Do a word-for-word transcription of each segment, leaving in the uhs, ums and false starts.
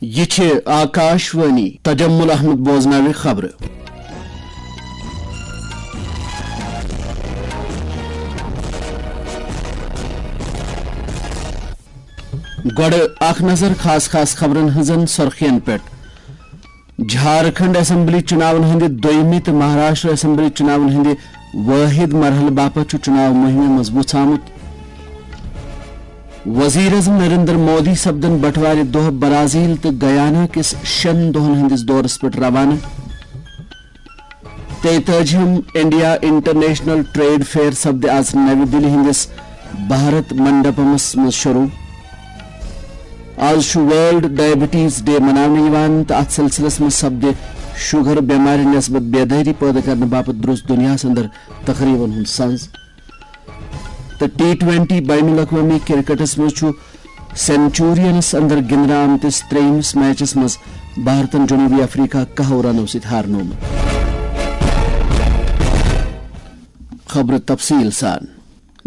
یہِ چھِ آکاش وانی۔ تجمل احمد بوزناوِ خبرٕ۔ گۄڈٕ اکھ نظر خاص خاص خبرن ہٕنٛزن سرخین پٮ۪ٹھ۔ جھارکھنڈ اسمبلی چُناون ہٕنٛدِ دوٚیمہِ تہٕ مہاراشٹر اسمبلی چُناون ہٕنٛدِ وٲحد مرحلہٕ باپتھ چھُ چُناو مُہِمہِ منٛز وُژھ آمُت۔ وزیر اعظم نریندر مودی سپدن بٹوارِ دۄہ برازیل تہٕ گیانا کِس شٮ۪ن دۄہن ہٕنٛدِس دورس پٮ۪ٹھ روانہٕ۔ تیتٲجِہِم انڈیا انٹرنیشنل ٹریڈ فیئر سپدِ آز نَوِ دِلہِ ہٕنٛدِس بھارت منڈپمس منٛز شروع۔ آز چھُ ورلڈ ڈائبٹیز ڈے مناونہٕ یِوان تہٕ اتھ سلسلس منٛز سپدِ شوگر بٮ۪مارِ نسبت بیدٲری پٲدٕ کرنہٕ باپتھ درٛوس دُنیاہس اندر تقریبن ہُنٛد سنز۔ تہٕ ٹی ٹوینٹی بین الاقوٲمی کرکٹس منٛز چھُ سینچورینس اندر گِنٛدنہٕ آمتِس ترٛیٚیمِس میچس منٛز بھارتن جنوبی افریقہ کاہو رنو سۭتۍ ہارنومُت۔ خبرٕ تفصیل سان۔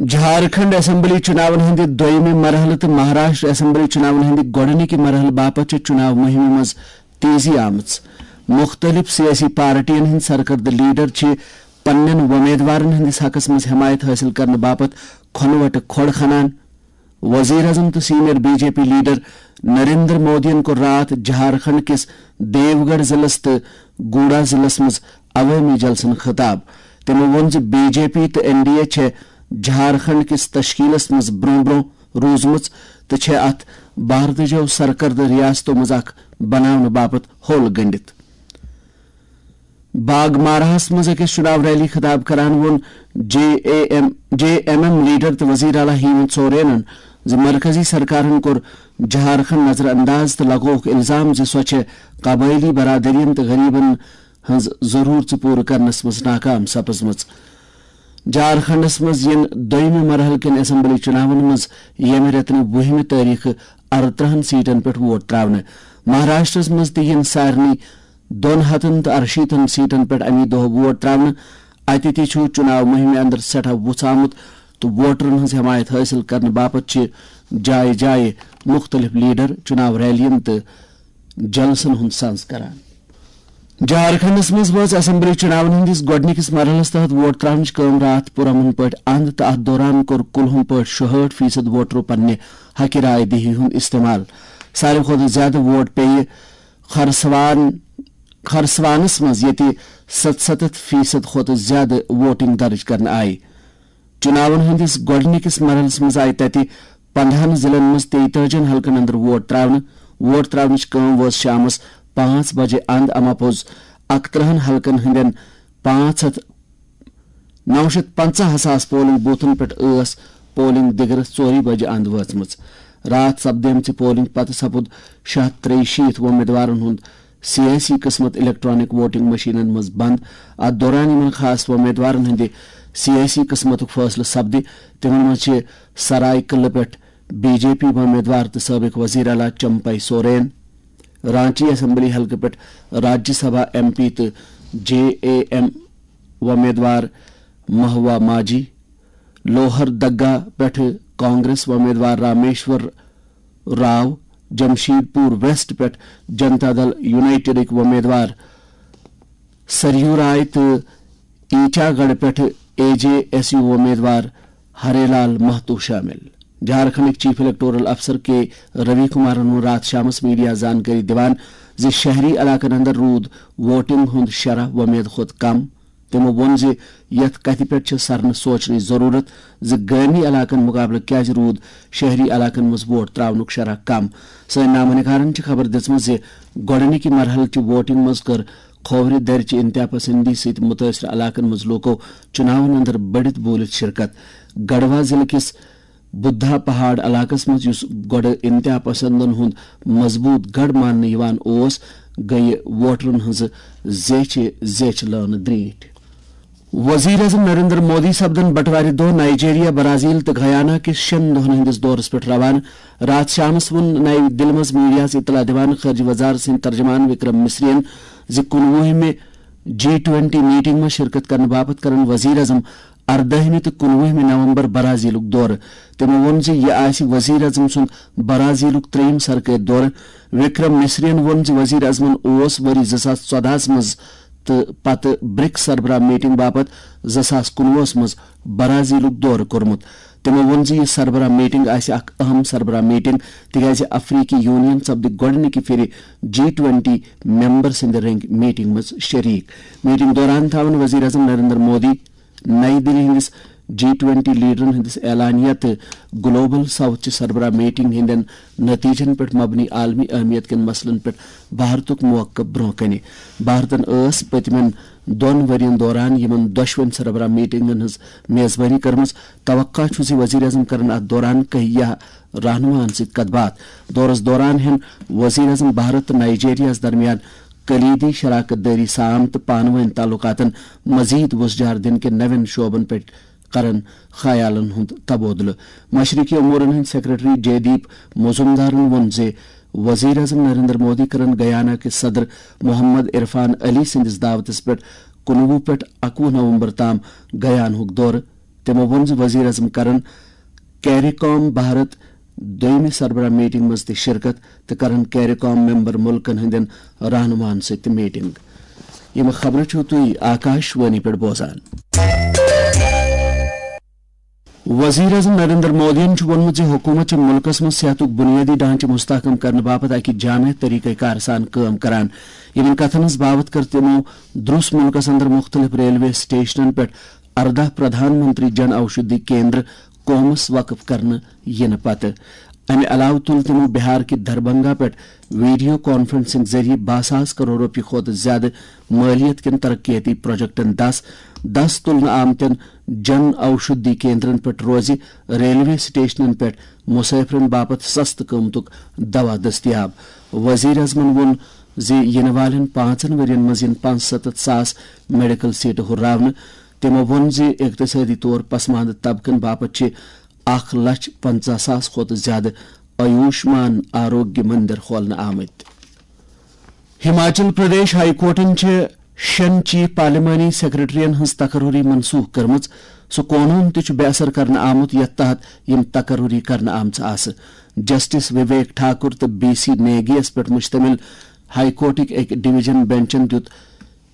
جھارکھنڈ اسمبلی چُناون ہٕنٛدِ دوٚیمہِ مرحلہٕ تہٕ مہاراشٹر اسمبلی چُناون ہٕنٛدِ گۄڈٕنِکہِ مرحلہٕ باپتھ چھِ چُناو مُہِمہِ منٛز تیزی آمٕژ۔ مُختٔلِف سیٲسی پارٹین ہٕنٛدۍ سرکردٕ لیڈر چھِ پننٮ۪ن وۄمیدوارن ہٕنٛدِس حقس منٛز حمایت حٲصِل کرنہٕ باپتھ کھۄنہٕ وٹہٕ کھۄڑ کھنان۔ وزیر اعظم تہٕ senior B J P leader Narendra مودیَن کوٚر راتھ جھارکھنڈ کِس دیوگڑھ ضلعس تہٕ گوڑا ضلعس منٛز عوٲمی جلسن خطاب۔ تٔمۍ ووٚن زِ بی جے پی تہٕ این ڈی اے چھےٚ جھارکھنڈ کِس تشکیلس منٛز برٛونٛہہ برٛونٛہہ روٗزمٕژ تہٕ چھےٚ اتھ بھارتٕچو سرکردٕ ریاستو منٛز اکھ بناونہٕ باپتھ ہوٚل گٔنٛڈِتھ۔ باگ ماراہس منٛز أکِس چُناو ریلی خطاب کران ووٚن J A M, J M M leader تہٕ وزیر اعلیٰ ہیمنت سورینن زِ مرکزی سرکارن کوٚر جھارکھنڈ نظر انداز تہٕ لگووُکھ الزام زِ سۄ چھےٚ قبٲئلی برادرین تہٕ غریبن ہٕنٛز ضرورژٕ پوٗرٕ کرنس منٛز ناکام سپٕزمٕژ۔ جھارکھنڈس منٛز یِن دوٚیمہِ مرحلہٕ کٮ۪ن اسمبلی چُناون منٛز ییٚمہِ رٮ۪تہٕ وُہمہِ تٲریخہٕ ارترٕہن سیٹن پٮ۪ٹھ ووٹ تراونہٕ۔ مہاراشٹرس منٛز تہِ یِن سارنٕے دۄن ہتن تہٕ ارشیٖتن سیٹن پٮ۪ٹھ اَمی دۄہ ووٹ تراونہٕ۔ اَتہِ تہِ چھُ چُناو مُہِمہِ اندر سٮ۪ٹھاہ وُژھ آمُت تہٕ ووٹرن ہٕنٛز حمایت حٲصِل کرنہٕ باپتھ چھِ جایہِ جایہِ مُختٔلِف لیڈر چُناو ریلین تہٕ جلسن ہُنٛد سنز کران۔ جھارکھنڈس منٛز وٲژ اسمبلی چُناون ہٕنٛدِس گۄڈٕنِکِس مرحلس تحت ووٹ تراونٕچ کٲم راتھ پُرامن پٲٹھۍ اند تہٕ اتھ دوران کوٚر کُلہُم پٲٹھۍ شُہٲٹھ فیصد ووٹرو پننہِ حقہِ راے دہی ہُنٛد استعمال۔ ساروی کھۄتہٕ زیادٕ ووٹ پیٚیہِ خرسوان، خرسوانس منٛز، ییٚتہِ ستستھ فیصد کھۄتہٕ زیادٕ ووٹنگ درج کرنہٕ آیہِ۔ چُناون ہٕنٛدِس گۄڈٕنِکِس مرحلس منٛز آیہِ تَتہِ پندہن ضلعن منٛز تیتٲجِہن حلقن اندر ووٹ تراونہٕ۔ ووٹ تراونٕچ کٲم وٲژ شامس پانٛژھ بجے اند۔ اما پوٚز اکترٕہن حلقن ہٕنٛدٮ۪ن پانٛژھ ہتھ، نو شیٚتھ پنژاہ ساس پولنگ بوتھن پٮ۪ٹھ ٲس پولنگ دِگرس ژورِ بجہِ اند وٲژمٕژ۔ راتھ سپدیمژِ پولنگ پتہٕ سپُد شیٚے ہتھ ترٛیہِ شیٖتھ وۄمیدوارن ہُنٛد سیٲسی قٕسمت الیکٹرانک ووٹنگ مشینن منٛز بند۔ اتھ دوران یِمن خاص وۄمیدوارن ہٕنٛدِ سیٲسی قٕسمتُک فٲصلہٕ سپدِ، تِمن منٛز چھِ سرائے قلعہ پٮ۪ٹھ بی جے پی وۄمیدوار تہٕ سٲبق وزیر اعلیٰ چمپائی سورین۔ رانچی اسمبلی حلقہٕ پٮ۪ٹھ راجیہ سبھا ایم پی تہٕ جے اے ایم وۄمیدوار مہوا ماجی، لوہر دگا پٮ۪ٹھٕ کانگریس وۄمیدوار رامیشور راو، جمشید پور ویسٹ پٮ۪ٹھ جنتا دل یونائیٹڈٕکۍ وۄمیدوار سریو رائے تہٕ ایچا گڑھ پٮ۪ٹھٕ اے جے ایس یو وۄمیدوار ہرے لال مہتو شٲمِل۔ جھارکھنڈٕکۍ چیف الیکٹورل افسر کے روی کمارن ووٚن راتھ شامس میڈیا زانکٲری دِوان زِ شہری علاقن اندر روٗد ووٹنگ ہُنٛد شرح وۄمید کھۄتہٕ کم۔ تِمو ووٚن زِ یَتھ کَتھِ پٮ۪ٹھ چھِ سرنہٕ سونچنٕچ ضروٗرت زِ گٲمی علاقن مُقابلہٕ کیازِ روٗد شہری علاقن منٛز ووٹ تراونُک شرح کم۔ سٲنۍ نامہ نگارن چھِ خبر دِژمٕژ زِ گۄڈٕنِکہِ مرحلہٕ چہِ ووٹنگ منٛز کٔر کھوورِ دَرِ چہِ انتہا پسندی سۭتۍ مُتٲثرٕ علاقن منٛز لوٗکو چُناون اندر بٔڑِتھ بوٗلِتھ شرکت۔ گڑھوا ضلعہٕ کِس بُدھا پہاڑ علاقس منٛز، یُس گۄڈٕ انتہا پسندن ہُنٛد مضبوٗط گڑھ ماننہٕ یِوان اوس، گٔیہِ ووٹرن ہٕنٛزٕ زیچھِ زیچھِ لٲنہٕ درینٹھۍ۔ وزیر اعظم نریندر مودی سپدن بٹوارِ دۄہ نائیجیریا، برازیل تہٕ گیانا کِس شٮ۪ن دۄہن ہٕنٛدِس دورس پٮ۪ٹھ روانہٕ۔ راتھ شامس ووٚن نَیہِ دِلہِ منٛز میڈیاہس اطلاع دِوان خارجہ وزارت سٕنٛدۍ ترجمان وکرم مصریَن زِ کُنوُہمہِ جی ٹوینٹی میٹنگ منٛز شرکت کرنہٕ باپتھ کرن وزیر اعظم اردٲہمہِ تہٕ کُنوُہمہِ نومبر برازیلُک دورٕ۔ تٔمۍ ووٚن زِ یہِ آسہِ وزیر اعظم سُنٛد برازیلُک ترٛیٚیِم سرکٲرۍ دورٕ۔ وکرم مصرین ووٚن زِ وزیر اعظمن اوس ؤری زٕ ساس ژۄدہَس منٛز تہٕ پتہٕ برکس سربراہ میٹنگ باپتھ زٕ ساس کُنوُہَس منٛز برازیلُک دورٕ کوٚرمُت۔ تٔمۍ ووٚن زِ یہِ سربراہ میٹنگ آسہِ اکھ اہم سربراہ میٹنگ، تِکیازِ افریقی یونین سپدِ گۄڈٕنِکہِ پھِرِ جی ٹوینٹی ممبر سٕنٛدِ رنگہِ میٹنگ منٛز شریک۔ میٹنگ دوران تھاوَن وزیر اعظم نریندر مودی نئی دِلہِ ہٕنٛدِس جی ٹوینٹی لیڈرن ہٕنٛدِس اعلانیہ تہٕ گلوبل ساؤتھ چہِ سربراہ میٹنگ ہٕنٛدٮ۪ن نتیجن پٮ۪ٹھ مبنی عالمی اہمیت کٮ۪ن مسلن پٮ۪ٹھ بھارتُک موقف برونٛہہ کنہِ۔ بھارتن ٲس پٔتمٮ۪ن دۄن ؤرین دوران یِمن دۄشوٕنۍ سربراہ میٹنگن ہٕنٛز میزبانی کٔرمٕژ۔ توقع چھُ زِ وزیر اعظم کرن اتھ دوران کہیہ رہنماہن سۭتۍ کتھ باتھ۔ دورس دوران ہٮ۪ن وزیر اعظم بھارت تہٕ نائیجیریاہس درمیان کلیدی شراکت دٲری سام تہٕ پانہٕ وٲنۍ تعلقاتن مزید وُژھ جار دِنہٕ کٮ۪ن نوٮ۪ن شعبن پٮ۪ٹھ کرن خیالن ہُنٛد تبادلہٕ۔ مشرقی امورن ہٕنٛدۍ سیکرٹری جے دیپ مزومدارن ووٚن زِ وزیر اعظم نریندر مودی کرن گیانا کِس صدر محمد عرفان علی سٕنٛدِس دعوتس پٮ۪ٹھ کُنوُہ پٮ۪ٹھ اَکوُہ نومبر تام گیانہُک دورٕ۔ تٔمۍ ووٚن زِ وزیر اعظم کرن کیری کام بھارت دوٚیمہِ سربراہ میٹنگ منٛز تہِ شرکت تہٕ کرن کیری کام ممبر ملکن ہٕنٛدٮ۪ن رہنماہن سۭتۍ تہِ میٹنگ۔ یِم خبرٕ چھِو تُہۍ آکاش وانی پٮ۪ٹھ بوزان۔ وزیر اعظم نریندر مودیَن چھُ ووٚنمُت زِ حکوٗمت چھِ مُلکَس منٛز صحتُک بُنیٲدی ڈھانچہٕ مستحکم کرنہٕ باپتھ اَکہِ جامع طریقہ کار سان کٲم کران۔ یِمَن کَتھَن ہٕنٛز باوَتھ کٔر تِمو دروس مُلکَس اندر مُختٔلِف ریلوے سٹیشنَن پٮ۪ٹھ ارداہ پردھان منتری جن اوشدھی کیندر قومَس وقف کرنہٕ یِنہٕ پتہٕ۔ اَمہِ علاوٕ تُل تِمو بہار کہِ دربھنگہ پٮ۪ٹھ ویڈیو کانفرنسنگ ذٔریعہٕ باہ ساس کرور رۄپیہِ کھۄتہٕ زِیٛادٕ مٲلیت کٮ۪ن ترقیتی پروجیکٹَن دَس، دَس تُلنہٕ آمتٮ۪ن جن اوشدھی کیندرن پٮ۪ٹھ روزِ ریلوے سٹیشنن پٮ۪ٹھ مسافرن باپتھ سستہٕ قۭمتُک دوا دٔستیاب۔ وزیر اعظمن ووٚن زِ یِنہٕ والٮ۪ن پانٛژن ؤرین منٛز یِن پانٛژستتھ ساس میڈیکل سیٹہٕ ہُرراونہٕ۔ تٔمۍ ووٚن زِ اقتصٲدی طور پسماندٕ طبقن باپتھ چھِ اکھ لچھ پنژاہ ساس کھۄتہٕ زِیٛادٕ آیوشمان آروگیہ مندر کھولنہٕ آمٕتۍ۔ ہماچل پردیش ہائی کورٹَن چھِ شٮ۪ن چیف پارلیمانی سیکرٹریَن ہٕنٛز تقرری منسوخ کٔرمٕژ۔ سُہ قونوٗن تہِ چھُ بے اثر کرنہٕ آمُت، یَتھ تحت یِم تقرری کرنہٕ آمژٕ آسہٕ۔ جسٹس وویک ٹھاکر تہٕ بی سی نیگیَس پٮ۪ٹھ مشتمل ہائی کورٹٕکۍ أکۍ ڈویژن بینچَن دیُت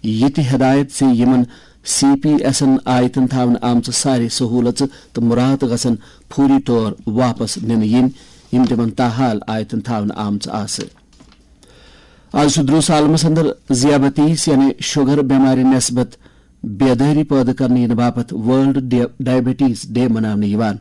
یہِ تہِ ہدایت زِ یِمَن سی پی ایسَن آیتَن تھاونہٕ آمژٕ سارے سہوٗلژٕ تہٕ مُراعات گژھن فوری طور واپس نِنہٕ یِنۍ، یِم تِمَن تاحال آیتَن تھاونہٕ آمژٕ آسہٕ۔ آز چھُ دروس عالمس اندر ذیابطیس یعنی شوگر بٮ۪مارِ نسبت بیدٲری پٲدٕ کرنہٕ یِنہٕ باپتھ ورلڈ ڈی-، ڈائبٹیز ڈے مناونہٕ یِوان۔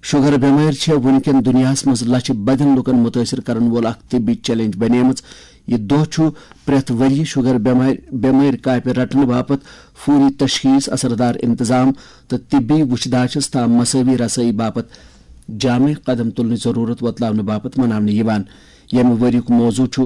شوگر بٮ۪مٲرۍ چھےٚ وُنکٮ۪ن دُنیاہس منٛز لچھِ بدٮ۪ن لوٗکن مُتٲثر کرن وول اکھ طبی چیلنج بنیمٕژ۔ یہِ دۄہ چھُ پرٛٮ۪تھ ؤرۍ یہِ شوگر بٮ۪مارِ، بٮ۪مٲرۍ کاپہِ رٹنہٕ باپتھ فوری تشخیص، اثردار انتظام تہٕ طبی وُچھ داچھس تام مساوی رسٲیی باپتھ جامع قدم تُلنٕچ ضروٗرت وۄتلاونہٕ باپتھ مناونہٕ یِوان، ییٚمہِ ؤریُک موضوع چھُ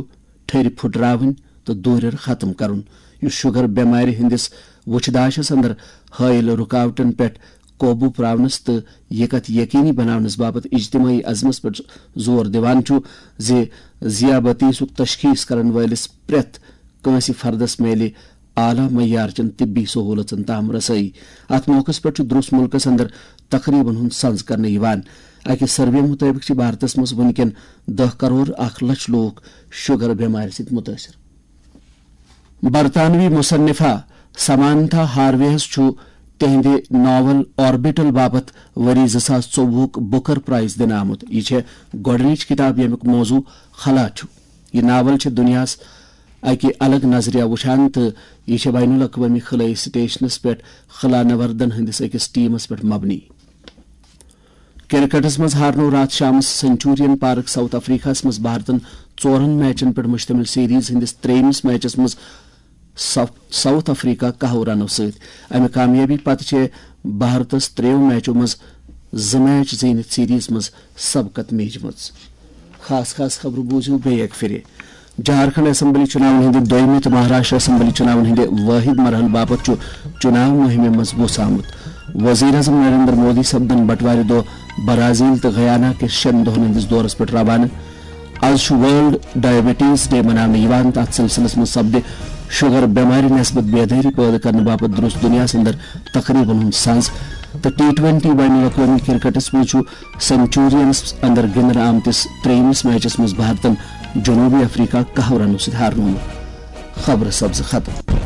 ٹھٔرۍ پھُٹراوٕنۍ تہٕ دوٗرٮ۪ر ختم کرُن، یُس شوگر بٮ۪مارِ ہٕنٛدِس وُچھ داچھس اندر حٲیِل رُکاوٹن پٮ۪ٹھ قوبوٗ پراونس تہٕ یہِ کتھ یقینی بناونس باپتھ اجتماعی عزمس پٮ۪ٹھ زور دِوان چھُ زِ ذیابطیسُک تشخیص کرن وٲلِس پرٛٮ۪تھ کٲنٛسہِ فردس میلہِ اعلیٰ معیار چٮ۪ن طبی سہوٗلژن تام رسٲیی۔ اتھ موقعس پٮ۪ٹھ چھُ دروس مُلکس اندر تقریبن ہُنٛد سنز کرنہٕ یِوان۔ اکہِ سروے مُطٲبِق چھِ بھارتس منٛز وُنکٮ۪ن دَہ کرور اکھ لچھ لوٗکھ شوگر بٮ۪مارِ سۭتۍ مُتٲثر۔ برطانوی مصنفہ سمانتھا ہارویہس چھُ تِہنٛدِ ناول آربیٹل باپتھ ؤری زٕ ساس ژوٚوُہُک بُکر پرائز دِنہٕ آمُت۔ یہِ چھےٚ گۄڈٕنِچ کِتاب، ییٚمیُک موضوع خلا چھُ۔ یہِ ناول چھِ دُنیاہَس اَکہِ الگ نظریہ وٕچھان تہٕ یہِ چھےٚ بین الاقوٲمی خلٲیی سٹیشنَس پٮ۪ٹھ خلا نوردن ہٕنٛدِس أکِس ٹیمَس پٮ۪ٹھ مبنی۔ کرکٹس منٛز ہارنوو راتھ شامس سنچورین پارک ساؤتھ افریقہس منٛز بھارتن ژورن میچن پٮ۪ٹھ مشتمل سیریز ہٕنٛدِس ترٛیٚیمِس میچس منٛز سف-، ساؤتھ افریقہ کاہو رنو سۭتۍ۔ امہِ کامیٲبی پتہٕ چھِ بھارتس ترٛیٚیو میچو منٛز زٕ میچ زیٖنِتھ سیریز منٛز سبقت میجمٕژ۔ خاص خاص خبرٕ بوٗزِو بیٚیہِ اکہِ پھِرِ۔ جھارکھنڈ اسمبلی چُناون ہٕنٛدِ دوٚیمہِ تہٕ مہاراشٹر اسمبلی چُناون ہٕنٛدِ وٲحد مرحلہٕ باپتھ چھُ چُناو مُہِمہِ منٛز وُژھ آمُت۔ وزیر اعظم نریندر مودی سپدن بٹوارِ دۄہ برازیل تہٕ گیانا کِس شٮ۪ن دۄہن ہٕنٛدِس دورس پٮ۪ٹھ روانہٕ۔ از چھُ ورلڈ ڈائبٹیز ڈے مناونہٕ یِوان تہٕ اتھ سلسلس منٛز سپدِ شوگر بٮ۪مارِ نسبت بیدٲری پٲدٕ کرنہٕ باپتھ درٛوس دُنیاہس اندر تقریبن ہُنٛد سنز۔ تہٕ ٹی ٹوینٹی بین الاقوٲمی کرکٹس منٛز چھُ سنچورینس اندر گِنٛدنہٕ آمتِس ترٛیٚیمِس میچس منٛز بھارتن جنوبی افریقہ کاہو رنو سۭتۍ ہارنومُت۔ خبرٕ سبزٕ ختم۔